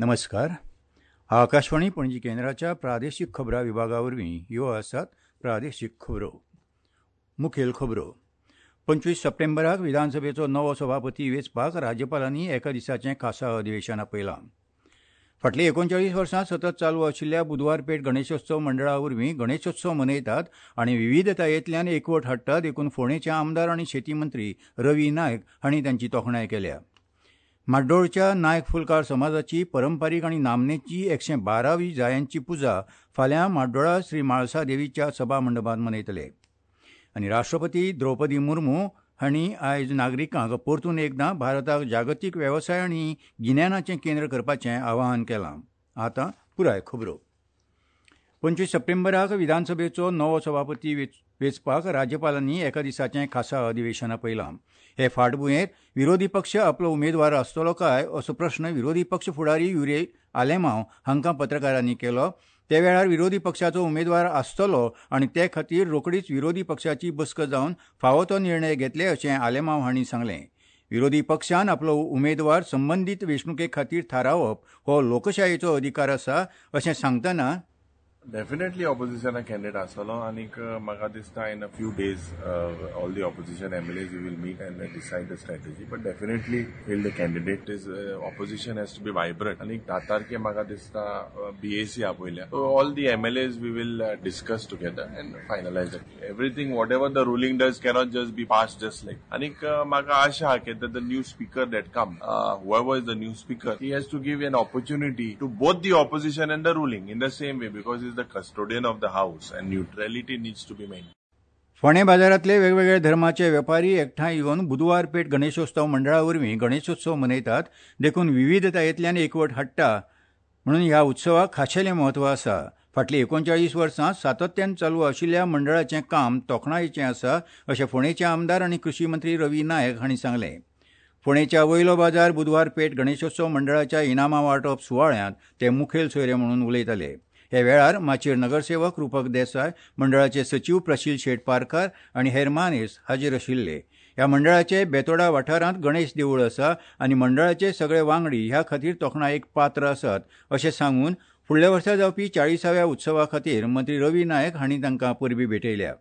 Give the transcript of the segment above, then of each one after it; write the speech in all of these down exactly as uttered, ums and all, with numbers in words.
नमस्कार. आकाशवाणी पणजी केंद्राच्या प्रादेशीक खबरां विभागा वरवीं ह्यो आसात प्रादेशीक खबरो. मुखेल खबरो. पंचवीस सप्टेंबराक विधानसभेचो नवो सभापती वेंचपाक राज्यपालांनी एका दिसाचें खासा अधिवेशन आपयलां. फाटलीं एकोणचाळीस वर्सां सतत चालू आशिल्ल्या बुधवार पेठ गणेशोत्सव मंडळा वरवीं गणेशोत्सव मनयतात आनी विविधतायेंतल्यान एकवट हाडटात देखून फोंडेचे आमदार आनी शेती मंत्री रवी नायक हांणी तांची तोखणाय केल्या. म्हाड्डोळच्या नायक फुलकार समाजाची परंपरीक आनी नामनेची एकशे बारावी जायांची पुजा फाल्यां म्हाड्डोळा श्री म्हाळसा देवीच्या सभा मंडपांत मनयतले. आनी राष्ट्रपती द्रौपदी मुर्मू हांणी आयज नागरिकांक परतून एकदां भारताक जागतीक वेवसाय आनी गिन्यानाचें केंद्र करपाचें आवाहन केलां. आतां पुराय खबरो. पंचवीस सप्टेंबराक विधानसभेचो नवो सभापती वेंचपाक राज्यपालांनी एका दिसाचें खासा अधिवेशन आपयलां. हे फाटभुंयेर विरोधी पक्ष आपलो उमेदवार आसतलो काय असो प्रस्न विरोधी पक्ष फुडारी युरी आलेमांव हांकां पत्रकारांनी केलो. ते वेळार विरोधी पक्षाचो उमेदवार आसतलो आनी ते खातीर रोखडीच विरोधी पक्षाची बसका जावन फावो तो निर्णय घेतले अशें आलेमांव हांणी सांगलें. विरोधी पक्षान आपलो उमेदवार संबंदीत वेंचणुके खातीर थारावप हो लोकशायेचो अधिकार आसा अशें सांगतना डेफिनेटली ऑपोजिशना कॅन्डिडेट आसतलो आनीक म्हाका दिसता in a few days all the opposition M L As will meet and decide the strategy, but definitely will the candidate is opposition has to be vibrant. आनीक धा तारखे म्हाका दिसता बी ए सी आपयल्या, so all the M L As we will discuss together and finalise everything. Whatever the ruling does cannot just be pass just like. आनीक म्हाका आशा आहा की the new speaker that come, whoever is the new speaker, he has to give an opportunity to both the opposition and the ruling in the same way, because the custodian of the house and neutrality needs to be maintained. फोंडें बाजारांतले वेगवेगळे धर्माचे वेपारी एकठांय येवन बुधवार पेठ गणेशोत्सव मंडळा वरवीं गणेशोत्सव मनयतात देखून विविधतायेंतल्यान एकवट हाडटा म्हणून ह्या उत्सवाक खाशेलें म्हत्व आसा. फाटलीं एकोणचाळीस वर्सां सातत्यान चालू आशिल्ल्या मंडळाचें काम तोखणायेचें आसा अशें फोंडेचे आमदार आनी कृशी मंत्री रवी नायक हांणी सांगलें. फोंडेच्या वयलो बाजार बुधवार पेठ गणेशोत्सव मंडळाच्या इनामां वांटप सुवाळ्यांत ते मुखेल सोयरे म्हणून उलयताले. हे वेळार माचयेर नगरसेवक रुपक देसाय, मंडळाचे सचीव प्रशील शेट पारकार आनी हेर मानेस हाजीर आशिल्ले. ह्या मंडळाचे बेतोडा वाठारांत गणेश देवूळ आसा आनी मंडळाचे सगळे वांगडी ह्या खातीर तोखणायेक पात्र आसात अशें सांगून फुडल्या वर्सा जावपी चाळीसाव्या उत्सवा खातीर मंत्री रवी नायक हांणी तांकां परबी भेटयल्या.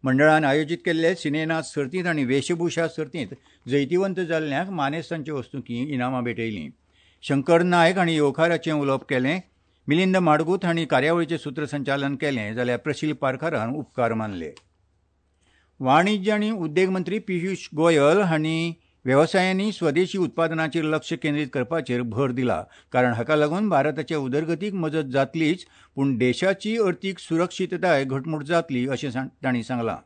मंडळान आयोजीत केल्ले सिनेनाच सर्तींत आनी वेशभूषा सर्तींत जैतिवंत जाल्ल्यांक मानेस्तांचे वस्तुकी इनामां भेटयलीं. शंकर नायक हांणी येवकाराचें उलोवप केलें. मिलिंद माडगूत हांणी कार्यावळीचें सूत्रसंचालन केलें जाल्यार प्रशील पारकारान उपकार मानले. वाणिज्य आनी उद्देग मंत्री पियुष गोयल हांणी वेवसायांनी स्वदेशी उत्पादनाचेर लक्ष केंद्रीत करपाचेर भर दिला, कारण हाका लागून भारताचे उदरगतीक मजत जातलीच पूण देशाची अर्थीक सुरक्षितताय घटमूट जातली अशें तांणी सांगलां.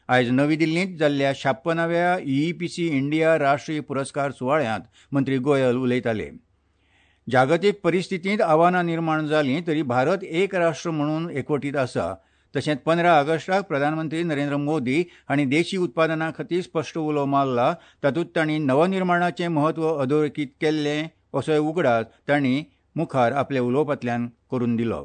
आयज नवी दिल्लींत जाल्ल्या छाप्पनाव्या ई पी सी इंडिया राष्ट्रीय पुरस्कार सुवाळ्यांत मंत्री गोयल उलयताले. जागतीक परिस्थितींत आव्हानां निर्माण जालीं तरी भारत एक राष्ट्र म्हणून एकवटीत आसा. तशेंच पंदरा ऑगस्टाक प्रधानमंत्री नरेंद्र मोदी हांणी देशी उत्पादना खातीर स्पश्ट उलो मारला, तातूंत तांणी नवनिर्माणाचें म्हत्व अधोरेखीत केल्लें असोय उगडास तांणी मुखार आपल्या उलोवपांतल्यान करून दिलो.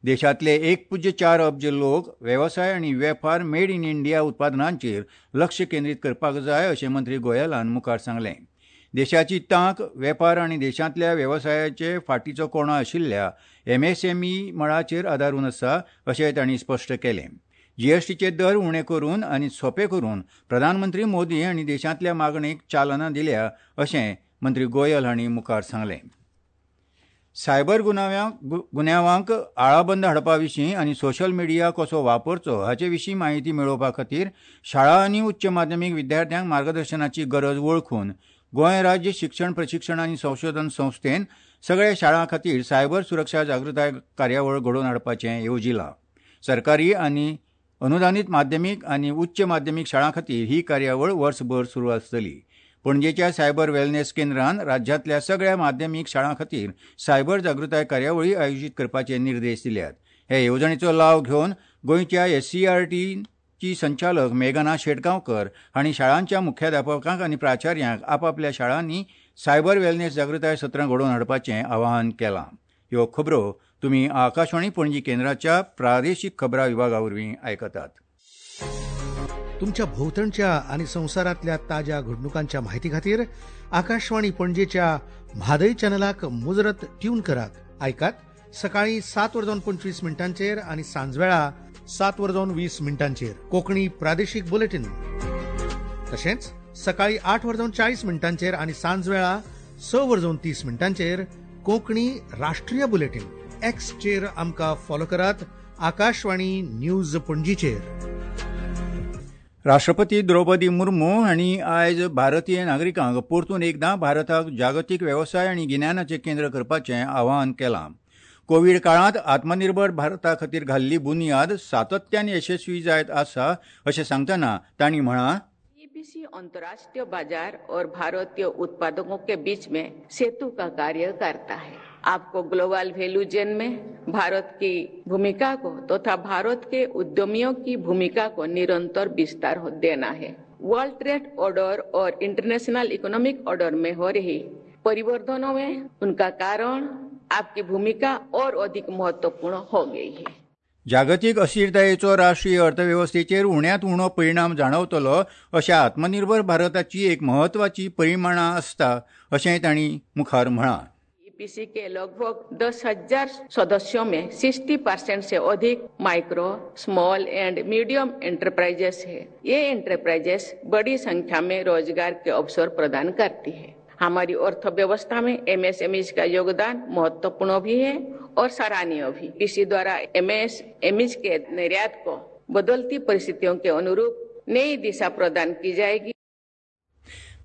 देशांतले एक पुज्य चार अब्ज लोक वेवसाय आनी वेपार मेड इन इंडिया उत्पादनांचेर लक्ष केंद्रीत करपाक जाय अशें मंत्री गोयलान मुखार सांगलें. देशाची तांक वेपार आनी देशांतल्या वेवसायाचे फाटीचो कोणो आशिल्ल्या एम एस एम ई मळाचेर आदारून आसा अशें तांणी स्पश्ट केलें. जीएसटीचे दर उणे करून आनी सोंपे करून प्रधानमंत्री मोदी हांणी देशांतल्या मागणेक चालना दिल्या अशें मंत्री गोयल हांणी मुखार सांगलें. सायबर गुन्यांवांक आळाबंद हाडपा विशीं आनी सोशल मिडिया कसो वापरचो हाचे विशीं म्हायती मेळोवपा खातीर शाळा आनी उच्च माध्यमीक विद्यार्थ्यांक मार्गदर्शनाची गरज वळखून गोंय राज्य शिक्षण प्रशिक्षण आनी संशोधन संस्थेन सगळ्या शाळां खातीर सायबर सुरक्षा जागृताय कार्यावळ घडोवन हाडपाचें येवजिलां. सरकारी आनी अनुदानीत माध्यमीक आनी उच्च माध्यमीक शाळां खातीर ही कार्यावळ वर्सभर सुरू आसतली. पणजेच्या सायबर वेलनेस केंद्रान राज्यांतल्या सगळ्या माध्यमीक शाळां खातीर सायबर जागृताय कार्यावळी आयोजीत करपाचे निर्देश दिल्यात. हे येवजणेचो लाव घेवन गोंयच्या एस सी आर टी ची संचालक मेघना शेटगांवकर हांणी शाळांच्या मुख्याध्यापकांक आनी प्राचार्यांक आपापल्या शाळांनी सायबर वेलनेस जागृताय सत्रां घडोवन हाडपाचें आवाहन केलां. ह्यो खबरो तुमी आकाशवाणी पणजी केंद्राच्या प्रादेशीक खबरां विभागा वरवीं आयकतात. तुमच्या भोंवतणच्या आनी संवसारांतल्या ताज्या घडणुकांच्या माहिती खातीर आकाशवाणी पणजेच्या म्हादय चॅनलाक मुजरत ट्यून करात. आयकात सकाळी सात वर जावन पंचवीस मिनटांचेर आनी सांजवेळा सात वर जावन वीस मिनटांचेर कोंकणी प्रादेशीक बुलेटीन. तशेंच सकाळी आठ वर जावन चाळीस मिनटांचेर आनी सांजवेळा स वर जावन तीस मिनटांचेर कोंकणी राष्ट्रीय बुलेटीन. एक्सचेर आमकां फॉलो करात आकाशवाणी न्यूज पणजीचेर. राष्ट्रपती द्रौपदी मुर्मू हांणी आयज भारतीय नागरिकांक परतून एकदां भारताक जागतीक वेवसाय आनी गिन्यानाचें केंद्र करपाचें आवाहन केलां. कोवीड काळांत आत्मनिर्भर भारता खातीर घाल्ली बुन्याद सातत्यान यशस्वी जायत आसा अशें सांगतना तांणी म्हळां, ईपीसी अंतर्राष्ट्रीय बाजार और भारतीय उत्पादकों के बीच में सेतु का कार्य करता है. आपको ग्लोबल वैल्यू चेन में भारत की भूमिका को तथा भारत के उद्यमियों की भूमिका को निरंतर विस्तार देना है. वर्ल्ड ट्रेड ऑर्डर और इंटरनेशनल इकोनॉमिक ऑर्डर में हो रही परिवर्तनों में उनका कारण आपकी भूमिका और अधिक महत्वपूर्ण हो गई है. जागतीक अस्थिरतायेचो राष्ट्रीय अर्थवेवस्थेचेर उण्यांत उणो परिणाम जाणवतलो अशा आत्मनिर्भर भारताची एक म्हत्वाची परिमाणां आसता अशेंय तांणी मुखार म्हळां. ईपीसी के लगभग दस हजार सदस्यों में साठ परसेंट से अधिक micro, small and medium enterprises है. ये एंटरप्राइजेस बड़ी संख्या में रोजगार के अवसर प्रदान करती है. हमारी अर्थव्यवस्था में एमएसएमई का योगदान महत्वपूर्ण भी है और सराहनीय भी. इसी द्वारा एमएसएमई के निर्यात को बदलती परिस्थितियों के अनुरूप नई दिशा प्रदान की जाएगी.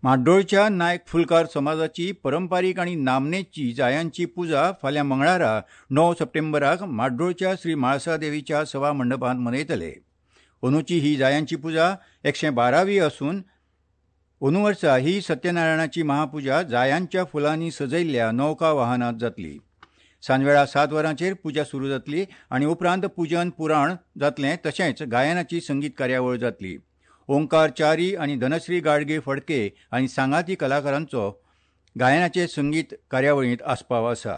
म्हाड्डोळच्या नायक फुलकार समाजाची परंपरीक आनी नामनेची जायांची पुजा फाल्यां मंगळारा णव सप्टेंबराक म्हाड्डोळच्या श्री म्हाळसा देवीच्या सभा मंडपांत मनयतले. अंदूची ही जायांची पुजा एकशे बारावी असून अंदू वर्सा ही सत्यनारायणाची महापुजा जायांच्या फुलांनी सजयल्ल्या नौका वाहनांत जातली. सांजवेळा सात वरांचेर पुजा सुरू जातली आनी उपरांत पुजन पुराण जातलें, तशेंच गायनाची संगीत कार्यावळ जातली. ओंकार च्यारी आनी धनश्री गाडगे फडके आनी सांगाती कलाकारांचो गायनाचे संगीत कार्यावळींत आस्पाव आसा.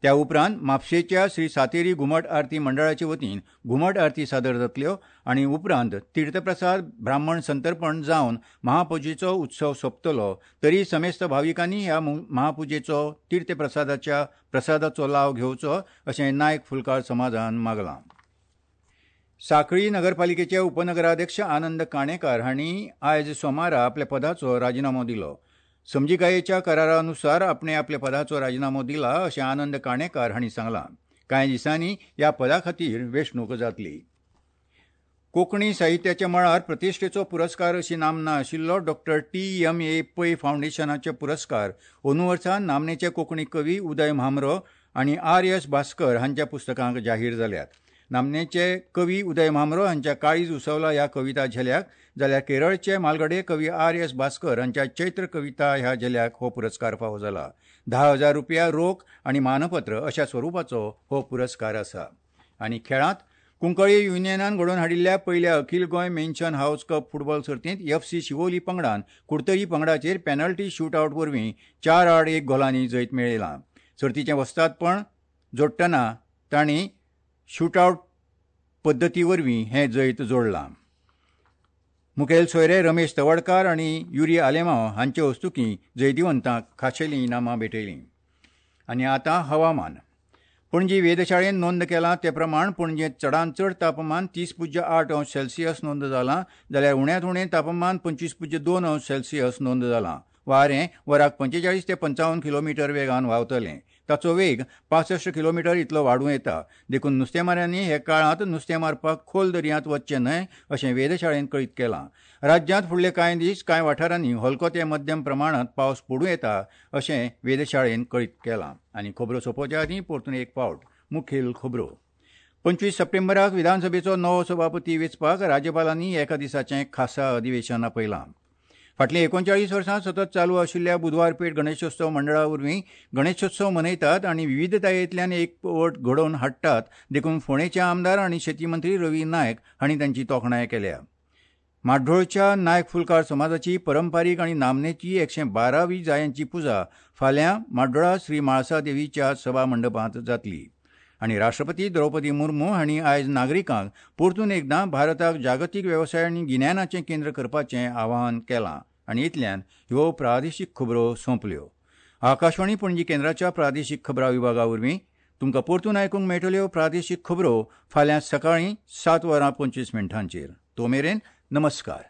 त्या उपरांत म्हापशेच्या श्री सातेरी घुमट आरती मंडळाचे वतीन घुमट आरती सादर जातल्यो आनी उपरांत तीर्थप्रसाद ब्राह्मण संतर्पण जावन महापुजेचो उत्सव सोंपतलो. तरी समेस्त भाविकांनी ह्या महापुजेचो तीर्थप्रसादाच्या प्रसादाचो लाव घेवचो अशें नायक फुलकार समाजान मागलां. सांखळी नगरपालिकेचे उपनगराध्यक्ष आनंद काणेकार हांणी आयज सोमारा आपल्या पदाचो राजिनामो दिलो. समजिकायेच्या करारानुसार आपणे आपल्या पदाचो राजिनामो दिला अशें आनंद काणेकार हांणी सांगलां. कांय दिसांनी ह्या पदा खातीर वेंचणूक जातली. कोंकणी साहित्याच्या मळार प्रतिश्ठेचो पुरस्कार अशी नामना आशिल्लो doctor T M A Pai फावंडेशनाचे पुरस्कार अंदू वर्सा नामनेचे कोंकणी कवी उदय म्हांबरो आनी आर एस भास्कर हांच्या पुस्तकांक जाहीर जाल्यात. नामनेचे कवी उदय म्हांबरो हांच्या काळीज उसवला ह्या कविता झेल्याक, जाल्यार केरळचे मालगडे कवी आर एस भास्कर हांच्या चैत्र कविता ह्या झेल्याक हो पुरस्कार फावो जाला. धा हजार रुपया रोख आनी मानपत्र अशा स्वरुपाचो हो पुरस्कार आसा. आनी खेळांत कुंकळी युनियनान घडोवन हाडिल्ल्या पयल्या अखील Goa mansion house cup football सर्तींत एफ सी शिवोली पंगडान कुडतरी पंगडाचेर पॅनल्टी शूटआवट वरवीं चार आड एक गोलांनी जैत मेळयलां. सर्तीचें वस्तादपण जोडटना तांणी शूटआवट पद्दती वरवीं हें जैत जोडलां. मुखेल सोयरे रमेश तवडकार आनी युरी आलेमाव हांचे हस्तुकीं जैतिवंतांक खाशेलीं इनामां भेटयलीं. आनी आतां हवामान. पणजी वेधशाळेन नोंद केलां ते प्रमाण पणजेंत चडांत चड तापमान तीस पुज्य आठ अंश सेल्सियस नोंद जालां, जाल्यार उण्यांत उणें तापमान पंचवीस पुज्य दोन अंश सेल्सियस नोंद जालां. वारें वराक पंचेचाळीस ते पंचावन्न किलोमिटर वेगान व्हांवतलें. ताचो वेग पासश्ट किलोमिटर इतलो वाडूं येता. देखून नुस्तेमाऱ्यांनी हे काळांत नुस्तें मारपाक खोल दर्यांत वचचें न्हय अशें वेधशाळेन कळीत केलां. राज्यांत फुडले कांय दीस कांय वाठारांनी हलको ते मध्यम प्रमाणांत पावस पडूं येता अशें वेधशाळेन कळीत केलां. आनी खबरो सोंपोवच्या आदीं परतून एक फावट मुखेल खबरो. पंचवीस सप्टेंबराक विधानसभेचो नवो सभापती वेंचपाक राज्यपालांनी एका दिसाचें खासा अधिवेशन आपयलां. फाटलीं एकोणचाळीस वर्सां सतत चालू आशिल्ल्या बुधवार पेठ गणेशोत्सव मंडळा वरवीं गणेशोत्सव मनयतात आनी विविधतायेंतल्यान एकवट घडोवन हाडटात, देखून फोंडेचे आमदार आनी शेती मंत्री रवी नायक हांणी तांची तोखणाय केल्या. म्हाड्डोळच्या नायक फुलकार समाजाची परंपरीक आनी नामनेची एकशे बारावी जायांची पुजा फाल्यां म्हाड्डोळा श्री म्हाळसा देवीच्या सभा मंडपांत जातली. आनी राष्ट्रपती द्रौपदी मुर्मू हांणी आयज नागरिकांक परतून एकदां भारताक जागतीक वेवसाय आनी गिन्यानाचें केंद्र करपाचें आवाहन केलां. आनी इतल्यान ह्यो प्रादेशीक खबरो सोंपल्यो. आकाशवाणी पणजी केंद्राच्या प्रादेशीक खबरां विभागा वरवीं तुमकां परतून आयकूंक मेळटल्यो प्रादेशीक खबरो फाल्यां सकाळीं सात वरां पंचवीस मिनटांचेर. तो मेरेन नमस्कार.